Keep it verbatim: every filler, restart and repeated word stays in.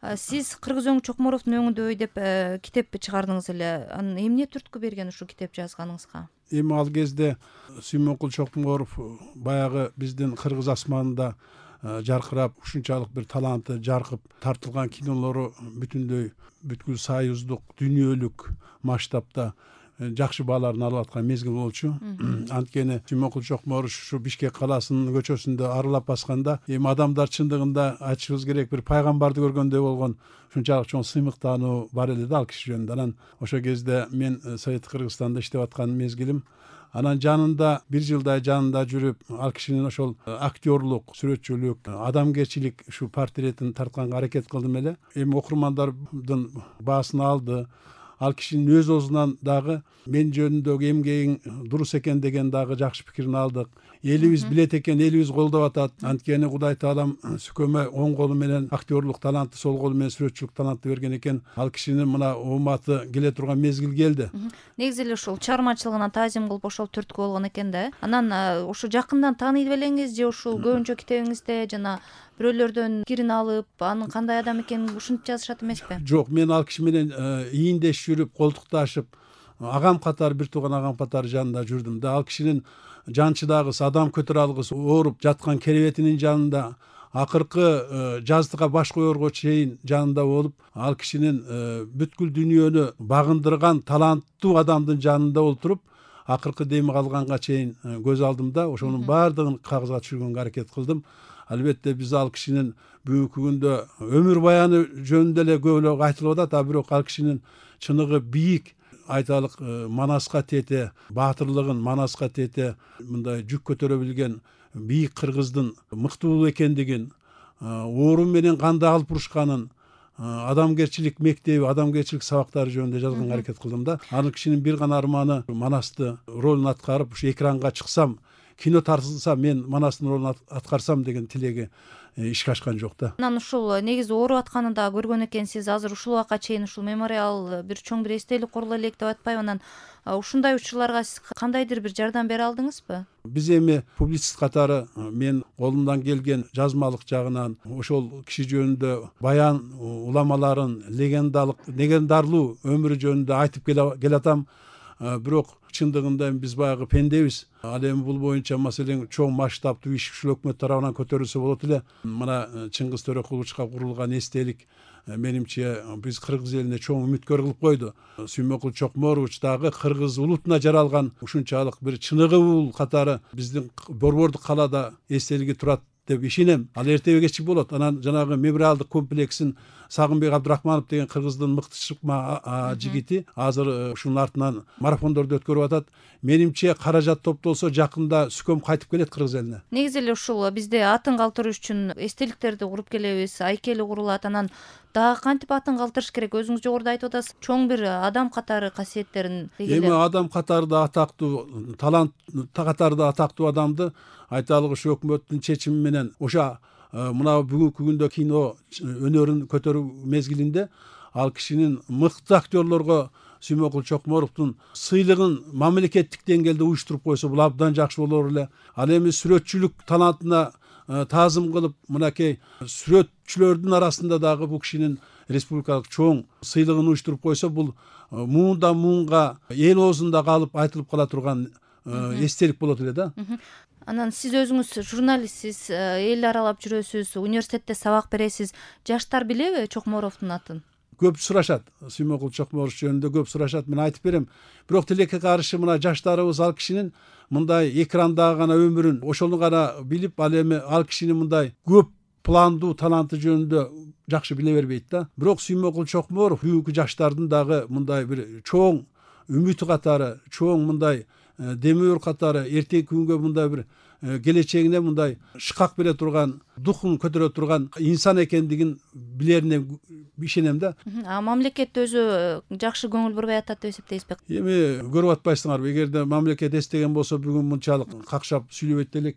Сиз Кыргызөң Чокморовдун өңүндөй деп китеп чыгардыңыз эле. Анын эмне түрткү берген ушул китеп жазганыңызга? Эми ал кезде Сүймөнкул Чокморов баягы биздин кыргыз асманында жаркырап, ушунчалык бир таланты жаркып тартылган кинолору бүтүндөй бүткүл союздук, дүйнөлүк масштабта жакшы бааларын алып аткан мезгил болчу. Анткени Сүймөнкул Чокморов ушу Бишкек каласынын көчөсүндө аралап басканда, эми адамдар чындыгында айтышыбыз керек бир пайгамбарды көргөндөй болгон ушунчалык чоң сыймыктануу бар эле да ал киши жөнүндө. Анан ошол кезде мен Совет Кыргызстанда иштеп аткан мезгилим. Анан жанында бир жылдай жанында жүрүп, ал кишинин ошол актерлук, сүрөтчүлүк, адамгерчилик ушу портретин тартканга аракет кылдым эле. Эми окурмандардын баасын алды. Ал кишинин өз оозунан дагы мен жөнүндөгү эмгегиң дурус экен деген дагы жакшы пикирин алдык. Элибиз билет экен, элибиз колдоп атат. Анткени Кудай таалам Сүкөмө оң колу менен актерлук талантты, сол колу менен сүрөтчүлүк талантты берген экен. Ал кишинин мына ооматы келе турган мезгил келди. Негизи эле ушул чыгармачылыгына таазим кылып ошол түрткү болгон экен да. Анан ушу жакындан тааный белеңиз же ушул көбүнчө китебиңизде жана бирөөлөрдөн пикирин алып, анын кандай адам экенин ушинтип жазышат эмеспи? Жок, мен ал киши менен ийиндеш жүрүп, колтукташып, агам катары, бир тууган агам катары жанында жүрдүм да. Ал кишинин жанчыдагысы, адам көтөрө алгысыз ооруп жаткан керебетинин жанында, акыркы жаздыга баш коерго чейин жанында болуп, ал кишинин бүткүл дүйнөнү багындырган таланттуу адамдын жанында отуруп, акыркы деми калганга чейин көз алдымда. Ошонун баардыгын кагызга түшүргөнгө аракет кылдым. Албетте биз ал кишинин бүгүнкү күндө өмүр баяны жөнүндө эле көп эле айтылып атат, а бирок ал кишинин чыныгы бийик, айталык манаска тете, баатырлыгын манаска тете, мындай жүк көтөрө билген бийик кыргыздын мыктуу экендигин, оору менен канды алып урушканын, адамгерчилик мектеби, адамгерчилик сабактары жөнүндө жазганга аракет кылдым да. Ал кишинин бир гана арманы Манасты ролун аткарып, ушу экранга чыксам, кино тартылса мен Манастын ролун аткарсам деген тилеги ишке ашкан жок да. Анан ушул негизи ооруп атканын да көргөн экенсиз. Азыр ушул убакка чейин ушул мемориал бир чоң бир эстелик курула элек деп атпайбы? Анан ушундай учурларга сиз кандайдыр бир жардам бере алдыңызбы? Биз эми публицист катары мен колумдан келген жазмалык жагынан ошол киши жөнүндө баян уламаларын, легендалык, легендарлуу өмүрү жөнүндө айтып келатам. Бирок чындыгында биз баягы пендебиз. Ал эми бул боюнча маселен чоң масштабтуу иш ушул өкмөт тарабынан көтөрүлсө болот эле. Мына Чыңгыз Төрөкуловичка курулган эстелик менимче биз кыргыз элине чоң үмүткөр кылып койду. Сүймөнкул Чокморович дагы кыргыз улутуна жаралган ушунчалык бир чыныгы катары биздин борбордук калаада эстелиги турат деп ишенем. Ал эртеби кечи болот. Анан жанагы мемориалдык комплексин Сагынбек Абдрахманов деген кыргыздын мыкты чыкма жигити азыр ушунун артынан марафондорду өткөрүп атат. Менимче каражат топтолсо жакында Сүкөм кайтып келет кыргыз элине. Негизи эле ушул бизде атын калтырыш үчүн эстеликтерди куруп келебиз, айкели курулат. Анан дагы кантип атын калтырыш керек? Өзүңүз жогоруда айтып атасыз, чоң бир адам катары касиеттерин. Эми адам катары да атактуу, талант катары да атактуу адамды айталык ушу өкмөттүн чечими менен ошо мына бүгүнкү күндө кино өнөрүн көтөрүү мезгилинде ал кишинин мыкты актерлорго Сүймөнкул Чокморовдун сыйлыгын мамлекеттик деңгээлде уюштуруп койсо бул абдан жакшы болор эле. Ал эми сүрөтчүлүк талантына таазым кылып, мынакей сүрөтчүлөрдүн арасында дагы бул кишинин республикалык чоң сыйлыгын уюштуруп койсо, бул муундан муунга эл оозунда калып айтылып кала турган эстелик болот эле да. Анан сиз өзүңүз журналистсиз, эл аралап жүрөсүз, университетте сабак бересиз. Жаштар билеби Чокморовдун атын? Көп сурашат. Сүймөнкул Чокморов жөнүндө көп сурашат. Мен айтып берем. Бирок тилекке каршы мына жаштарыбыз ал кишинин мындай экрандагы гана өмүрүн, ошону гана билип, ал эми ал кишинин мындай көп пландуу таланты жөнүндө жакшы биле бербейт да. Бирок Сүймөнкул Чокморов бүгүнкү жаштардын дагы мындай бир чоң үмүтү катары, чоң мындай демөөр катары, эртеңки күнгө мындай бир келечегине мындай шыкак бере турган, духун көтөрө турган инсан экендигин билерине ишенем да. А мамлекет өзү жакшы көңүл бурбай атат деп эсептейсизби? Эми көрүп атпайсыңарбы? Эгерде мамлекет эстеген болсо бүгүн мынчалык какшап сүйлөбөйт элек.